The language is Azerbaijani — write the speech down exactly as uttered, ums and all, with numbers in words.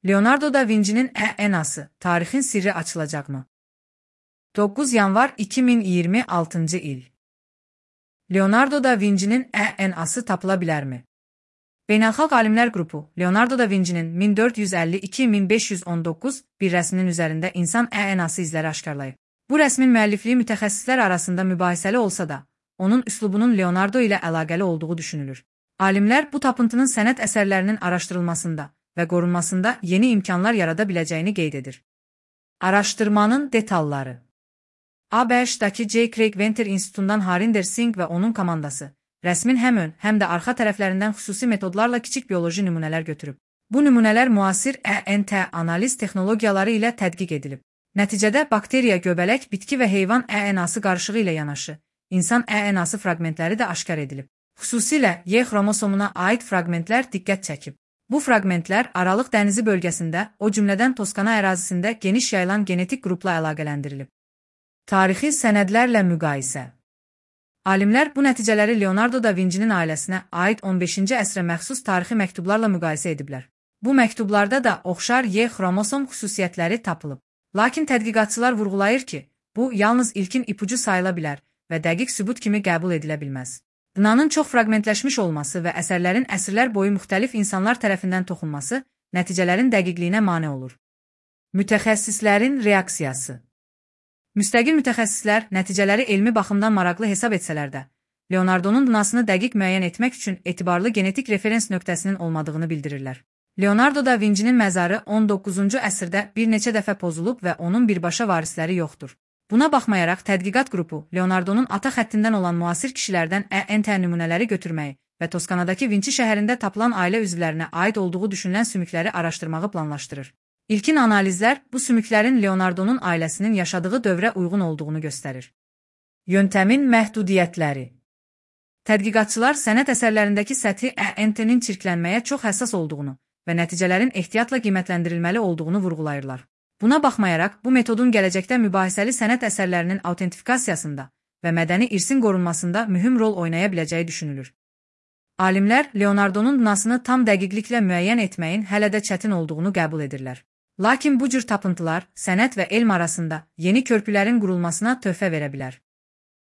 Leonardo da Vinci'nin D N A'sı, tarixin sirri açılacaqmı? doqquz yanvar iki min iyirmi altıncı il. Leonardo da Vinci'nin D N A'sı tapıla bilərmi? Beynəlxalq Alimlər Qrupu, Leonardo da Vinci'nin min dörd yüz əlli iki min beş yüz on doqquz bir rəsminin üzərində insan D N A'sı izləri aşkarlayıb. Bu rəsmin müəllifliyi mütəxəssislər arasında mübahisəli olsa da, onun üslubunun Leonardo ilə əlaqəli olduğu düşünülür. Alimlər bu tapıntının sənət əsərlərinin araşdırılmasında və qorunmasında yeni imkanlar yarada biləcəyini qeyd edir. Araşdırmanın detalları. A B Ş'dakı J. Craig Venter İnstitutundan Harinder Singh və onun komandası, rəsmin həm ön, həm də arxa tərəflərindən xüsusi metodlarla kiçik bioloji nümunələr götürüb. Bu nümunələr müasir E N T analiz texnologiyaları ilə tədqiq edilib. Nəticədə bakteriya, göbələk, bitki və heyvan D N A'sı qarışığı ilə yanaşı, insan D N A'sı fraqmentləri də aşkar edilib. Xüsusilə Y xromosomuna aid fraqmentlər diqqət çəkib. Bu fraqmentlər Aralıq dənizi bölgəsində, o cümlədən Toskana ərazisində geniş yayılan genetik qrupla əlaqələndirilib. Tarixi sənədlərlə müqayisə. Alimlər bu nəticələri Leonardo da Vinci'nin ailəsinə aid on beşinci əsrə məxsus tarixi məktublarla müqayisə ediblər. Bu məktublarda da oxşar Y xromosom xüsusiyyətləri tapılıb. Lakin tədqiqatçılar vurğulayır ki, bu yalnız ilkin ipucu sayıla bilər və dəqiq sübut kimi qəbul edilə bilməz. D N A-nın çox fraqmentləşmiş olması və əsərlərin əsrlər boyu müxtəlif insanlar tərəfindən toxunması nəticələrin dəqiqliyinə mane olur. Mütəxəssislərin reaksiyası. Müstəqil mütəxəssislər nəticələri elmi baxımdan maraqlı hesab etsələr də, Leonardo'nun D N A-sını dəqiq müəyyən etmək üçün etibarlı genetik referens nöqtəsinin olmadığını bildirirlər. Leonardo da Vinci'nin məzarı on doqquzuncu əsrdə bir neçə dəfə pozulub və onun birbaşa varisləri yoxdur. Buna baxmayaraq tədqiqat qrupu Leonardo'nun ata xəttindən olan müasir kişilərdən D N T nümunələri götürməyi və Toskanadakı Vinci şəhərində tapılan ailə üzvlərinə aid olduğu düşünülən sümükləri araşdırmağı planlaşdırır. İlkin analizlər bu sümüklərin Leonardo'nun ailəsinin yaşadığı dövrə uyğun olduğunu göstərir. Yöntəmin məhdudiyyətləri. Tədqiqatçılar sənət əsərlərindəki səthi D N T-nin çirklənməyə çox həssas olduğunu və nəticələrin ehtiyatla qiymətləndirilməli olduğunu vurğulayırlar. Buna baxmayaraq, bu metodun gələcəkdə mübahisəli sənət əsərlərinin autentifikasiyasında və mədəni irsin qorunmasında mühüm rol oynaya biləcəyi düşünülür. Alimlər Leonardo'nun D N A-sını tam dəqiqliklə müəyyən etməyin hələ də çətin olduğunu qəbul edirlər. Lakin bu cür tapıntılar sənət və elm arasında yeni körpülərin qurulmasına töhfə verə bilər.